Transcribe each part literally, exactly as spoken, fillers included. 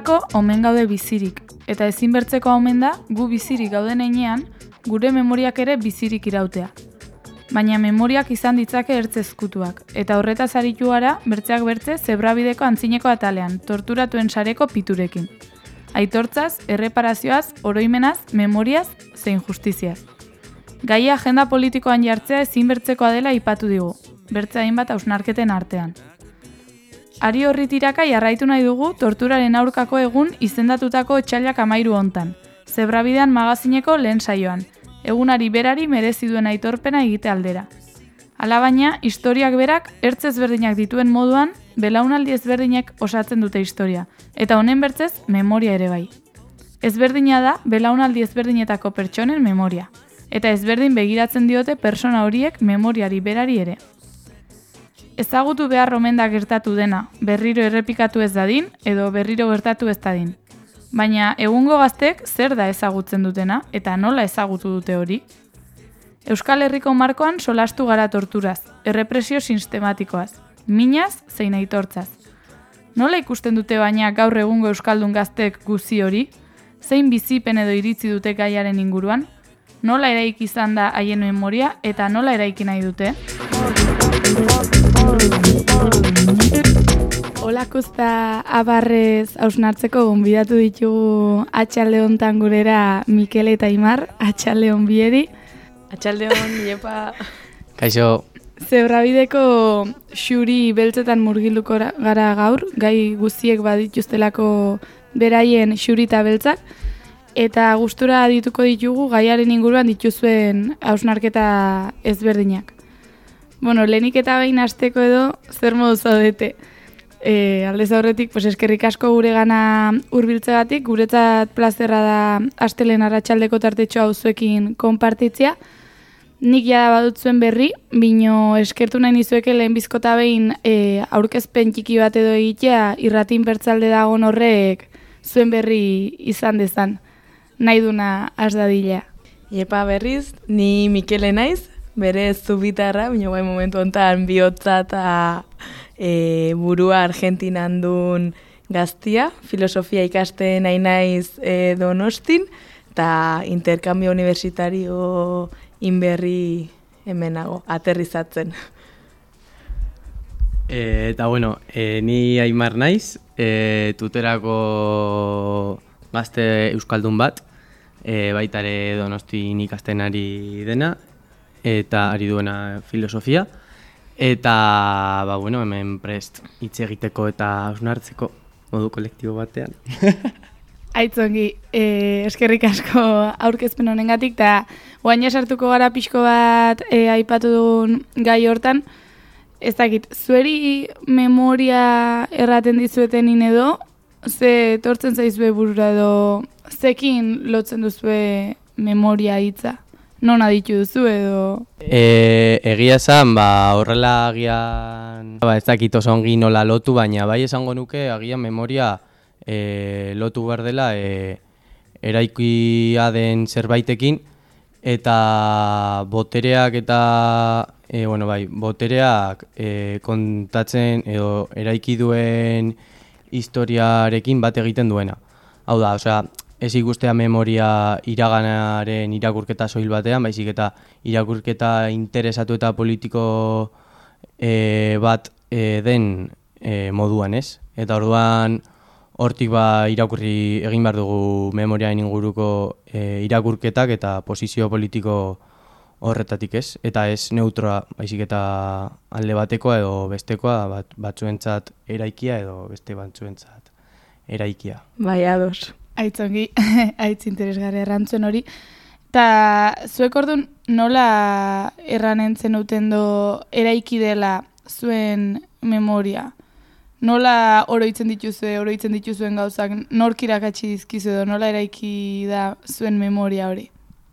Horretarako omen gaude bizirik, eta ezinbertzeko omen da gu bizirik gauden heinean, gure memoriak ere bizirik irautea. Baina memoriak izan ditzake ertz ezkutuak, eta horretaz aritu gara bertzeak bertze zebrabideko antzineko atalean, torturatuen sareko piturekin. Aitortzaz, erreparazioaz, oroimenaz, memoriaz, zein justiziaz. Gaia agenda politikoan jartzea ezinbertzekoa dela aipatu digu, bertze hainbat hausnarketen artean. Ari horri tiraka jarraitu nahi dugu torturaren aurkako egun izendatutako otsailak amairu hontan, zebrabidean magazineko lehen saioan, egunari berari merezi duen aitorpena egite aldera. Alabaina, historiak berak ertz ezberdinak dituen moduan, belaunaldi ezberdinek osatzen dute historia, eta honen bertzez memoria ere bai. Ezberdina da belaunaldi ezberdinetako pertsonen memoria, eta ezberdin begiratzen diote persona horiek memoriari berari ere. Ezagutu behar omen da gertatu dena, berriro errepikatu ez dadin, edo berriro gertatu ez dadin. Baina egungo gaztek zer da ezagutzen dutena, eta nola ezagutu dute hori? Euskal Herriko markoan solastu gara torturaz, errepresio sistematikoaz, minaz zein aitortzaz. Nola ikusten dute baina gaur egungo euskaldun gaztek guzi hori? Zein bizipen edo iritzi dute gaiaren inguruan? Nola eraiki izan da haien memoria eta nola eraiki nahi dute? Olakuzta abarrez hausnartzeko gonbidatu ditugu atxalde hontan gurera Mikel eta Aimar, atxalde hon bieri. Atxalde hon, iepa. Kaixo. Zebrabideko xuri beltzetan murgilduko gara gaur, gai guztiek badituztelako beraien xuri eta beltzak, eta gustura dituko ditugu gaiaren inguruan dituzuen hausnarketa ezberdinak. Bueno, lehenik eta behin hasteko edo zer modu zaudete. E, aldez aurretik, pues eskerrik asko gure gana hurbiltzegatik, guretzat plazerra da astelen arratsaldeko tartetxo hau zuekin konpartitzea. Nik jada badut zuen berri, bino eskertu nahi nizueke lehen bizkota behin e, aurkezpen txiki bat edo egitea irratin bertzalde dagoen horrek zuen berri izan dezan. Nahi duna has dadila. Iepa berriz, ni Mikele naiz, bere zubitarra, bino bai momentu honetan bihotza eta e, burua Argentinan duen gaztia, filosofia ikasten nahi naiz e, Donostin, eta interkambio universitario inberri hemenago, aterrizatzen. E, eta bueno, e, ni Aimar naiz, e, tuterako gazte euskaldun bat, e, baitare Donostin ikasten ari dena, eta ari duena filosofia, eta ba, bueno, hemen prest hitz egiteko eta hausnartzeko modu kolektibo batean. Aitzongi, eh, eskerrik asko aurkezpen honengatik, eta guaina sartuko gara pixko bat eh, aipatu dugun gai hortan. Ez dakit, zueri memoria erraten dizuetenin edo, ze tortzen zaizue burura edo, zekin lotzen duzue memoria hitza? Non aditu duzu edo? E, egia esan, ba, horrela agian, ba, ez dakit oso ongi nola lotu, baina bai esango nuke agian memoria e, lotu behar dela e, eraikia den zerbaitekin, eta botereak eta, e, bueno, bai, botereak e, kontatzen edo eraiki duen historiarekin bat egiten duena. Hau da, osea, ez ikustea memoria iraganaren irakurketa soil batean, baizik eta irakurketa interesatu eta politiko e, bat e, den e, moduan, ez? Eta orduan hortik ba irakurri egin behar dugu memoriaen inguruko e, irakurketak eta posizio politiko horretatik, ez? Eta ez neutroa, baizik eta alde batekoa edo bestekoa, bat, batzuentzat eraikia edo beste batzuentzat eraikia. Bai, ados. Aitzongi, aitz interesgarri errantzuen hori. Ta zuek orduan nola erranen zenuten do eraiki dela zuen memoria? Nola oroitzen dituzue, oroitzen dituzuen gauzak, nork irakatsi dizkizu edo nola eraiki da zuen memoria hori?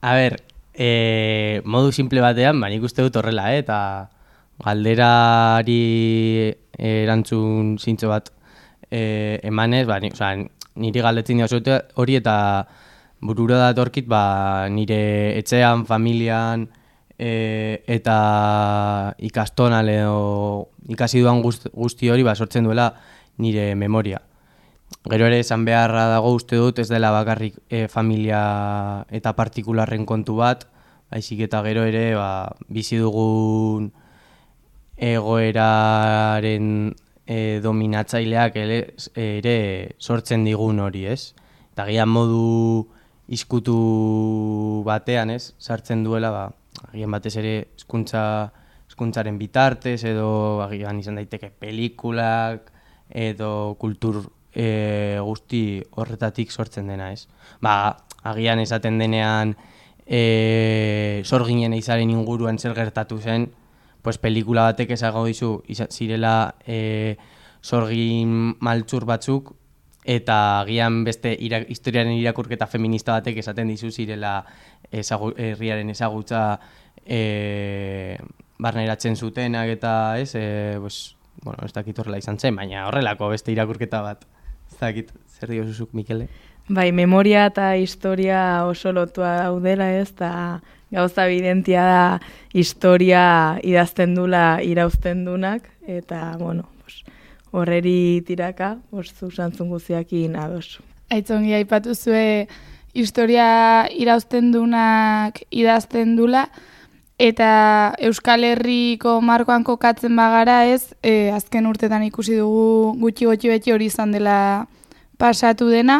A ber, e, modu simple batean, ba, nik uste dut horrela, eh? Eta galderari erantzun zintzo bat e, emanez, ba, ni, oza, niri galdetzen dira hori eta burura datorkit ba, nire etxean, familian e, eta ikastonan edo ikasi duan guzti hori ba, sortzen duela nire memoria. Gero ere esan beharra dago uste dut ez dela bakarrik e, familia eta partikularren kontu bat, baizik eta gero ere ba, bizi dugun egoeraren e, dominatzaileak ere, ere sortzen digun hori, ez? Eta gian modu izkutu batean, ez? Sartzen duela, ba, agian batez ere hezkuntza hezkuntzaren bitartez edo agian izan daiteke pelikulak edo kultur e, guzti horretatik sortzen dena, ez? Ba, agian esaten denean e, sorginen eizaren inguruan zer gertatu zen, pues pelikula batek esago dizu zirela e, sorgin maltzur batzuk eta agian beste ira, historiaren irakurketa feminista batek esaten dizu zirela ezagu, herriaren ezagutza e, barneratzen zutenak eta ez, e, pues, bueno, ez dakit horrela izan zen, baina horrelako beste irakurketa bat. Ez dakit, zer diozuzuk, Mikele? Bai, memoria eta historia oso lotua daudela, ez, eta gauza evidentia da historia idazten dula irauzten dunak, eta, bueno, pues, horreri tiraka, pues, zuzantzun guziakin ados. Aitzongi aipatu zue historia irauzten dunak idazten dula, eta Euskal Herriko markoan kokatzen bagara ez, e, azken urtetan ikusi dugu gutxi gutxi beti hori izan dela pasatu dena,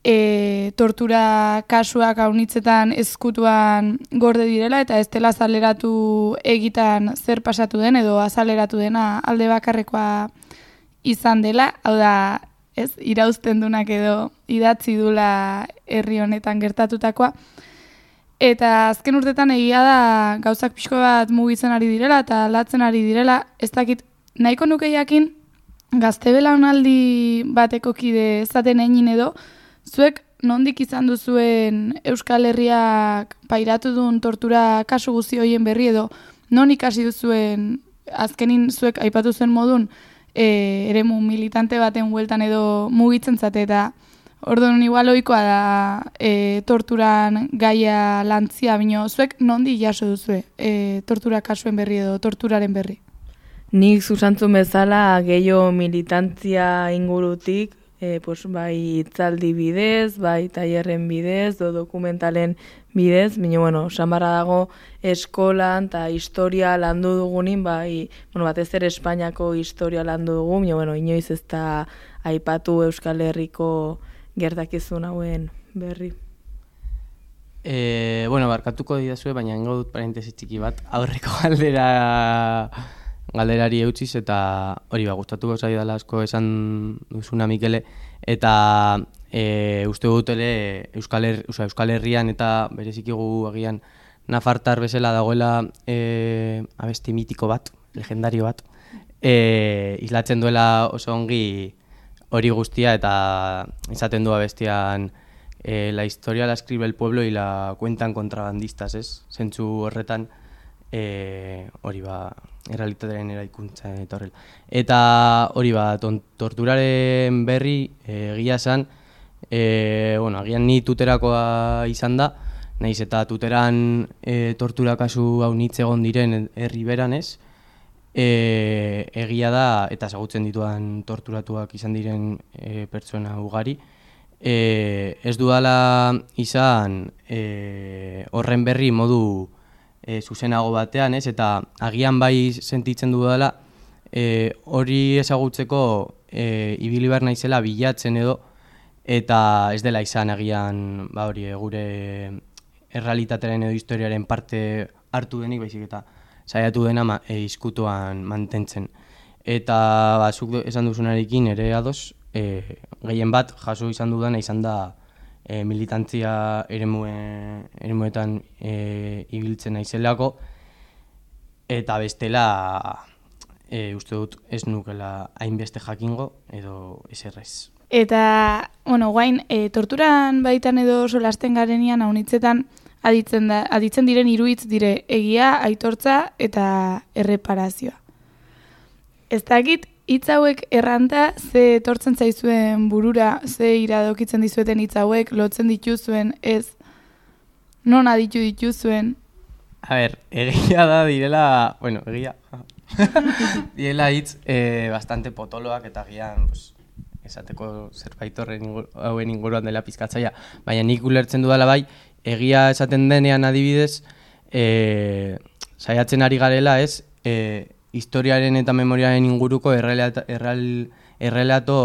e, tortura kasuak haunitzetan ezkutuan gorde direla, eta ez dela azaleratu egitan zer pasatu den, edo azaleratu dena alde bakarrekoa izan dela, hau da, ez, irauzten dunak edo idatzi dula herri honetan gertatutakoa. Eta azken urtetan egia da gauzak pixko bat mugitzen ari direla eta aldatzen ari direla, ez dakit nahiko nuke jakin gazte belaunaldi bateko kide ezaten egin edo, zuek nondik izan duzuen Euskal Herriak pairatu duen tortura kasu guzti horien berri edo, non ikasi duzuen azkenin zuek aipatu zuen modun e, eremu militante baten hueltan edo mugitzen zate eta orduan igual ohikoa da e, torturan gaia lantzia, bino zuek nondi jaso duzue e, tortura kasuen berri edo torturaren berri? Nik zuzantzun bezala gehiago militantzia ingurutik, e, pues, bai itzaldi bidez, bai tailerren bidez, do dokumentalen bidez, bino, bueno, samarra dago eskolan eta historia landu dugunin, bai, bueno, batez ere Espainiako historia landu dugu, bino, bueno, inoiz ez da aipatu Euskal Herriko gertakizun hauen berri. E, bueno, barkatuko didazue, baina ingo dut parentesi txiki bat, aurreko galdera galderari eutziz, eta hori ba, gustatuko zaidala asko esan duzuna Mikele, eta e, uste dut ere Euskal, Her, oza, Euskal Herrian eta berezikigu agian nafartar bezala dagoela e, abesti mitiko bat, legendario bat, e, islatzen duela oso ongi hori guztia eta izaten du abestian eh, la historia la escribe el pueblo y la cuentan contrabandistas, ez? Zentzu horretan eh, hori ba, errealitatearen eraikuntza etorrela. Eta hori ba, ton, torturaren berri egia eh, esan, eh, bueno, agian ni tuterakoa izan da, naiz eta tuteran eh, tortura kasu hau nitz egon diren herri beran, ez? E, egia da, eta ezagutzen dituan torturatuak izan diren e, pertsona ugari, e, ez dudala izan e, horren berri modu e, zuzenago batean, ez? Eta agian bai sentitzen dudala e, hori ezagutzeko e, ibili behar naizela bilatzen edo, eta ez dela izan agian ba hori gure errealitatearen edo historiaren parte hartu denik, baizik eta saiatu dena ma, e, izkutuan mantentzen. Eta ba, zuk esan duzunarekin ere ados, e, gehien bat jaso izan dudana izan da e, militantzia eremue, eremuetan e, ibiltzen naizelako, eta bestela e, uste dut ez nukela hainbeste jakingo edo eserrez. Eta, bueno, guain, e, torturan baitan edo solasten garenian haunitzetan Aditzen, da, aditzen diren hiru hitz dire egia, aitortza eta erreparazioa. Ez dakit hitz hauek erranta ze etortzen zaizuen burura, ze iradokitzen dizueten hitz hauek, lotzen dituzuen, ez non aditu dituzuen. A ber, egia da direla, bueno, egia, direla hitz eh, bastante potoloak eta gian, pues, esateko zerbait horren ingur, hauen inguruan dela pizkatzaia, baina nik ulertzen dudala bai, egia esaten denean adibidez, e, saiatzen ari garela ez, e, historiaren eta memoriaren inguruko errelato, erral, errelato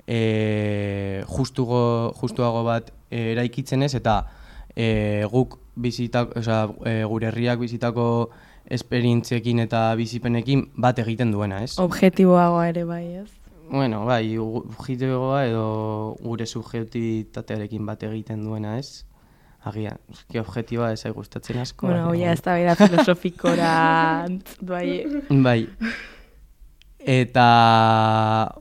e, justugo, justuago bat e, eraikitzen ez, eta e, guk bizitak, oza, e, gure herriak bizitako esperientziekin eta bizipenekin bat egiten duena, ez? Objektiboagoa ere bai, ez? Bueno, bai, objektiboa edo gure subjektibitatearekin bat egiten duena, ez? Agian, eski objektiboa ez gustatzen asko. Bueno, ja, ez da bera filosofikora bai. Bai. Eta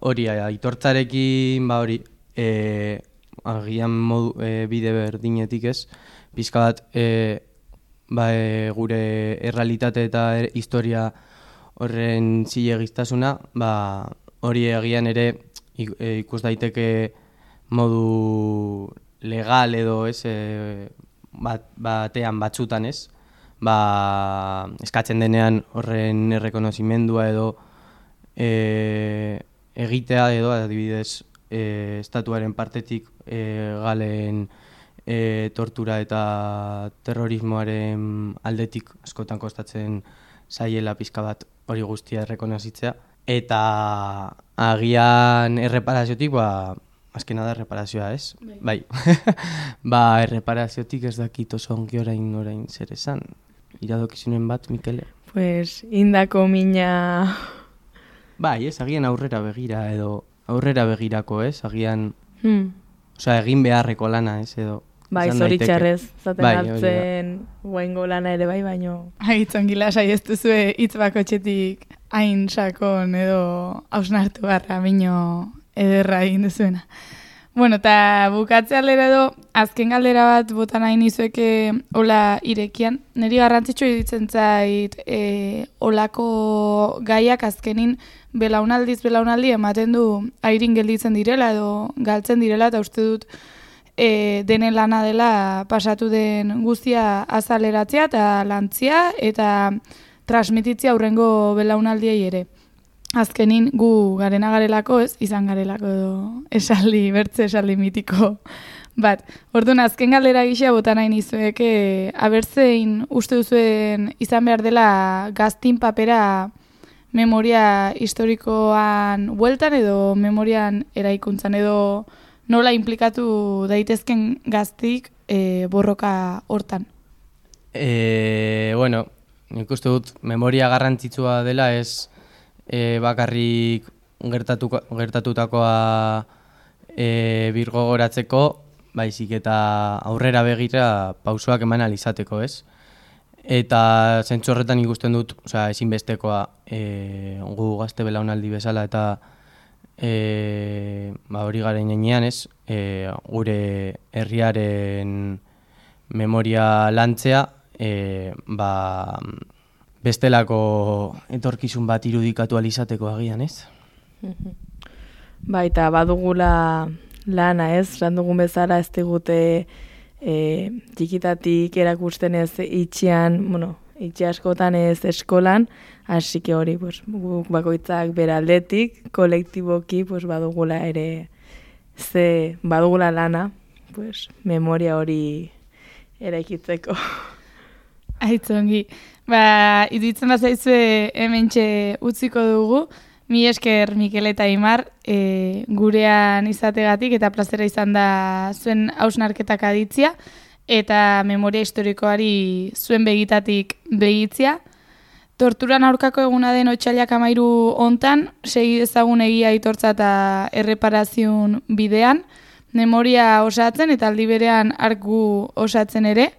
hori, aitortzarekin, ba hori, e, agian modu, e, bide berdinetik ez, pizka bat, e, ba, e, gure errealitate eta er, historia horren zilegiztasuna, ba, hori agian ere ikus daiteke modu legal edo ez, e, bat, batean batzutan ez, ba, eskatzen denean horren errekonozimendua edo e, egitea edo adibidez e, estatuaren partetik e, galen e, tortura eta terrorismoaren aldetik askotan kostatzen zaiela pizka bat hori guztia errekonozitzea. Eta agian erreparaziotik, ba, azkena da erreparazioa, ez? Bai. Ba, erreparaziotik ez dakit oso ongi orain orain zer esan. Iradokizunen bat, Mikele? Pues, indako mina... Bai, ez, agian aurrera begira edo aurrera begirako, ez? Agian, hmm. osea, egin beharreko lana, ez, edo... Bai, zoritxarrez, zaten bai, hartzen guaingo lana ere bai, baino... Agitzen gila, saiestu zue hitz bakotxetik hain sakon edo hausnartu barra bino ederra egin duzuena. Bueno, eta bukatze aldera edo, azken galdera bat botan nahi nizueke hola irekian. Neri garrantzitsu iruditzen zait e, olako gaiak azkenin belaunaldiz belaunaldi ematen du airin gelditzen direla edo galtzen direla, eta uste dut e, denen lana dela pasatu den guztia azaleratzea eta lantzia eta transmititzia aurrengo belaunaldiei ere. Azkenin gu garena garelako, ez, izan garelako edo esaldi, bertze esaldi mitiko bat. Orduan, azken galdera gisa bota nahi nizuek, e, abertzein uste duzuen izan behar dela gaztin papera memoria historikoan bueltan edo memorian eraikuntzan edo nola implikatu daitezken gaztik e, borroka hortan? E, bueno, nik uste dut memoria garrantzitsua dela ez e, bakarrik gertatu, gertatutakoa e, birgogoratzeko, baizik eta aurrera begira pausoak eman alizateko, ez? Eta zentzu horretan ikusten dut, osea, ezinbestekoa e, gu gazte belaunaldi bezala eta e, ba, hori garen enean, ez? E, gure herriaren memoria lantzea, e, ba, bestelako etorkizun bat irudikatu alizateko agian, ez? Baita, badugula lana, ez? Randugun bezala ez digute e, txikitatik erakusten ez itxian, bueno, itxi askotan ez eskolan, hasi que hori, pues, guk bakoitzak beraldetik, kolektiboki, pues, badugula ere, ze badugula lana, pues, memoria hori eraikitzeko. Aitzongi. Ba, iduitzen bazaizue hementxe utziko dugu. Mi esker Mikel eta Imar e, gurean izategatik eta plazera izan da zuen hausnarketak aditzia eta memoria historikoari zuen begitatik begitzia. Torturan aurkako eguna den otsailak amairu hontan, segi dezagun egia aitortza eta erreparaziun bidean, memoria osatzen eta aldi berean arku osatzen ere.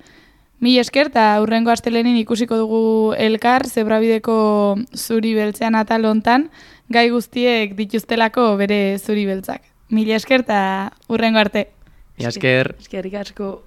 Mi esker eta hurrengo astelenin ikusiko dugu elkar zebrabideko zuri beltzean atal hontan, gai guztiek dituztelako bere zuri beltzak. Mila esker eta hurrengo arte. Mila esker. Eskerrik asko.